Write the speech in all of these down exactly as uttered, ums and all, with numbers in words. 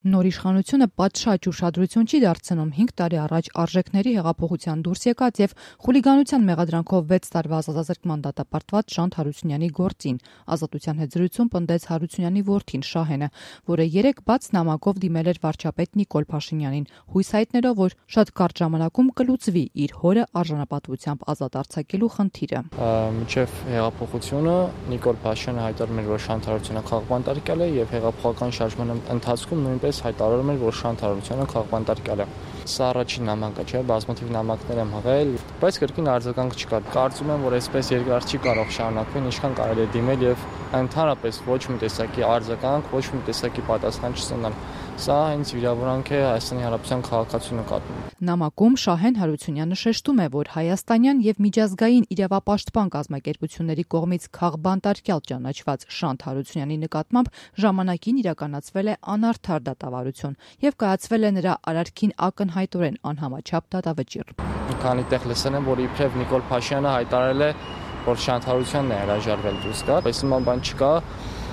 Նոր իշխանությունը պատշաճ ուշադրություն չի դարձնում հինգ տարի առաջ արժեքների հեղափոխության դուրս եկած եւ խուլիգանության մեղադրանքով վեց տարվա ազատազրկման դատապարտված Շանթ Հարությունյանի գործին։ Ազատության հետ զրույցում պնդեց Հարությունյանի որդին Շահենը, որը երեկ բաց նամակով դիմել էր վարչապետ Նիկոլ Փաշինյանին, հույս հայտնելով, որ շատ կարճ ժամանակում կլուծվի իր հորը արժանապատվությամբ ազատ արձակելու խնդիրը։ Մինչև հեղափոխությունը Նիկոլ Փաշինյանը հայտարարում էր, որ Շանթ Հարությունյանը քաղաքբանտարկյալ է եւ հեղափոխական շարժման ընթացքում նույնպես հայտարարում էր, որ Շանթ Հարությունյանը քաղաքբանտարկյալ է։ Սա առաջին նամակը չէ, բազմաթիվ նամակներ եմ հղել, բայց կրկին արձագանք չկա։ Կարծում եմ, որ այսպես երկար չի կարող շարունակվել, ինչքան կարելի է դիմել եւ ընդհանրապես ոչ մի տեսակի արձագանք, ոչ մի տեսակի պատասխան չստանալ։ Սա հենց վիրավորանք է Հայաստանի Հանրապետության քաղաքացու նկատմամբ։ Նամակում Շահեն Հարությունյանը շեշտում է, որ հայաստանյան եւ միջազգային իրավապաշտպան կազմակերպությունների կողմից քաղաքբանտարկյալ ճանաչված Շանթ Հարությունյանի նկատմամբ ժամանակին իրականացվել է անարդար դատավարություն եւ կայացվել է նրա արարքին ակնհայտորեն անհամաչափ դատավճիռ։ Մի քանի տեղ լսել եմ, որ իբրև Նիկոլ Փաշինյանը հայտարարել է, որ Շանթ Հարությունյանն է հրաժարվել դուրս գա, բայց նման բան չկա։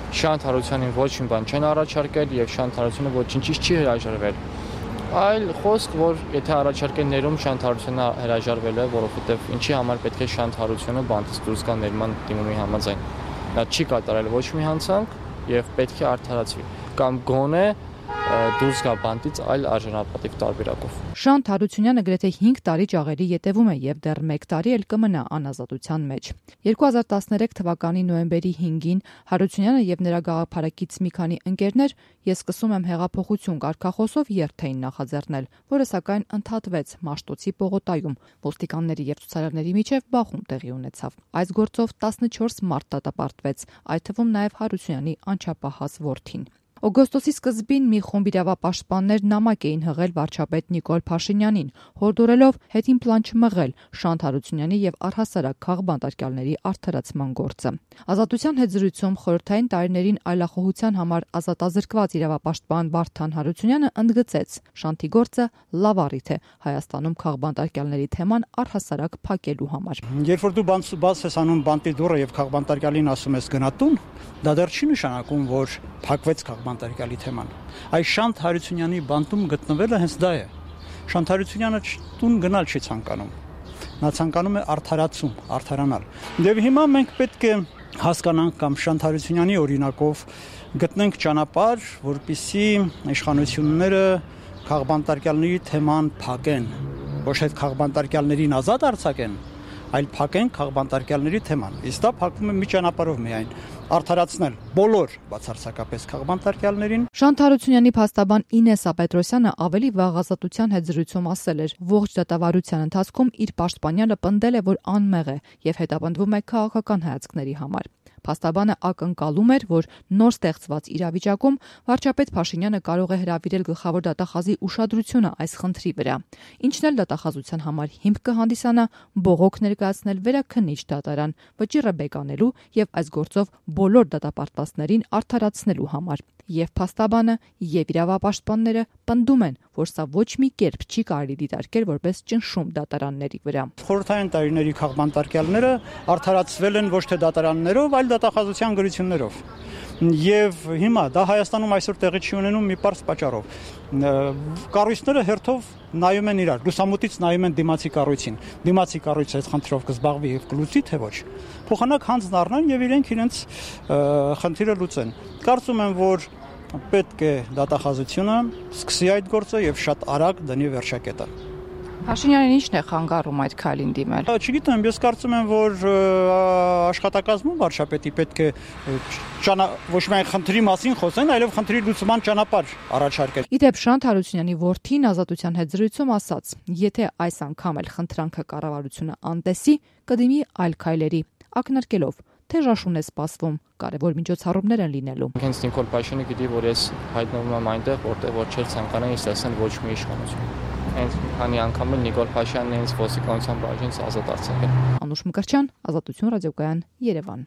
Շանթ Հարությունյանին ոչ մի բան չեն առաջարկել եւ Շանթ Հարությունը ոչինչից չի հրաժարվել։ Այլ խոսք, որ եթե առաջարկեն ներում Շանթ Հարությունը հրաժարվել է, որովհետեւ ինչի համար պետք է Շանթ Հարությունը բանտից դուրս գա ներման դիմումի համաձայն։ Նա չի կատարել ոչ մի հանցանք եւ պետք է արդարացվի կամ գոնե դուրս գա բանտից այլ արժանապատիվ տարբերակով։ Շանթ Հարությունյանը գրեթե հինգ տարի ճաղերի ետևում է եւ դեռ մեկ տարի էլ կմնա անազատության մեջ։ երկու հազար տասներեք թվականի նոյեմբերի հինգին Հարությունյանը եւ նրա գաղափարակից մի քանի ընկերներ «Ես սկսում եմ հեղափոխություն» կարգախոսով երթ էին նախաձեռնել, որը սակայն ընդհատվեց Մաշտոցի պողոտայում։ Ոստիկանների եւ ցուցարարների միջև բախում տեղի ունեցավ։ Այս գործով տասնչորս մարդ դատապարտվեց, այդ թվում նաեւ Հարությունյանի անչափահաս որդին։ Օգոստոսի սկզբին մի խումբ իրավապաշտպաններ նամակ էին հղել վարչապետ Նիկոլ Փաշինյանին, հորդորելով հետին պլան չմղել Շանթ Հարությունյանի եւ առհասարակ քաղաքբանտարկյալների արդարացման գործը։ Ազատության հետ զրույցում խորհրդային տարիներին այլախոհության համար ազատազրկված իրավապաշտպան Վարդան Հարությունյանը ընդգծեց. Շանթի գործը լավ առիթ է Հայաստանում քաղաքբանտարկյալների թեման առհասարակ փակելու համար։ Երբ որ դու բաց ես անում բանտի դուռը եւ քաղաքբանտարկյալին ասում ես գնա տուն, դա դեռ չի նշանակում, որ փակվեց քաղաքբանտարկյալի թեման։ Այս Շանթ Հարությունյանի բանտում գտնվելը հենց դա է։ Շանթ Հարությունյանը տուն գնալ չի ցանկանում։ Նա ցանկանում է արդարացում, արդարանալ։ Եվ հիմա մենք պետք է հասկանանք կամ Շանթ Հարությունյանի օրինակով գտնենք ճանապարհ, որպեսզի իշխանությունները քաղաքբանտարկյալների թեման փակեն, ոչ թե քաղաքբանտարկյալներին ազատ արձակեն, այլ փակեն քաղաքբանտարկյալների թեման։ Իսկ դա փակվում է մի ճանապարհով միայն՝ արդարացնել բոլոր բացարձակապես քաղաքբանտարկյալներին։ Շանթ Հարությունյանի փաստաբան Ինեսա Պետրոսյանը ավելի վաղ ազատության հետ զրույցում ասել էր, ողջ դատավարության ընթացքում իր պաշտպանյանը պնդել է, որ անմեղ է եւ հետապնդվում է քաղաքական հայացքների համար։ Փաստաբանը ակնկալում էր, որ նոր ստեղծված իրավիճակում վարչապետ Փաշինյանը կարող է հրավիրել գլխավոր դատախազի ուշադրությունը այս խնդրի վրա, ինչն էլ դատախազության համար հիմք կհանդիսանա բողոք ներկայացնել վերաքննիչ դատարան, վճիռը բեկանելու եւ այս գործով բոլոր դատապարտվածներին արդարացնելու համար։ Եվ փաստաբանը եւ իրավապաշտպանները պնդում են, որ սա ոչ մի կերպ չի կարելի դիտարկել որպես ճնշում դատարանների վրա։ Խորհրդային տարիների քաղաքբանտարկյալները արդարացվել են ոչ թե դատարաններով, այլ դատախազության գրություններով։ Եվ հիմա դա Հայաստանում այսօր տեղի չի ունենում մի պարզ պատճառով։ Կառույցները հերթով նայում են իրար, լուսամուտից նայում են դիմացի կառույցին։ Դիմացի կառույցը այդ խնդրով կզբաղվի եւ կլուծի թե ոչ։ Փոխանակ հանձն առնեն եւ իրենք իրենց խնդիրը լուծեն։ Կարծում եմ, որ պետք է դատախազությունը սկսի այդ գործը եւ շատ արագ դնի վերջակետը։ Փաշինյանին ի՞նչն է խանգարում այդ քայլին դիմել։ Չգիտեմ, ես կարծում եմ, որ աշխատակազմում վարչապետի պետք է ոչ միայն խնդրի մասին խոսեն, այլև խնդրի լուծման ճանապարհ առաջարկել։ Իդեպ Շանթ Հարությունյանի որդին ազատության հետ զրույցում ասաց. եթե այս անգամ էլ խնդրանքը կառավարությունը անտեսի, կդիմի այլ քայլերի, ակնարկելով թե ժաշուն է սպասվում, կարևոր միջոցառումներ են լինելու։ Հենց Նիկոլ Փաշինյանը գիտի, որ ես հայտնվում եմ այնտեղ, որտեղ որ չէր ցանկանա ինձ տեսնել ոչ մի իշխանություն։ Հենց մի քանի անգամ էլ Նիկոլ Փաշինյանն ինձ ոստիկանության բաժինից ազատ արձակել։ Անուշ Մկրտչյան, Ազատություն ռադիոկայան, Երևան։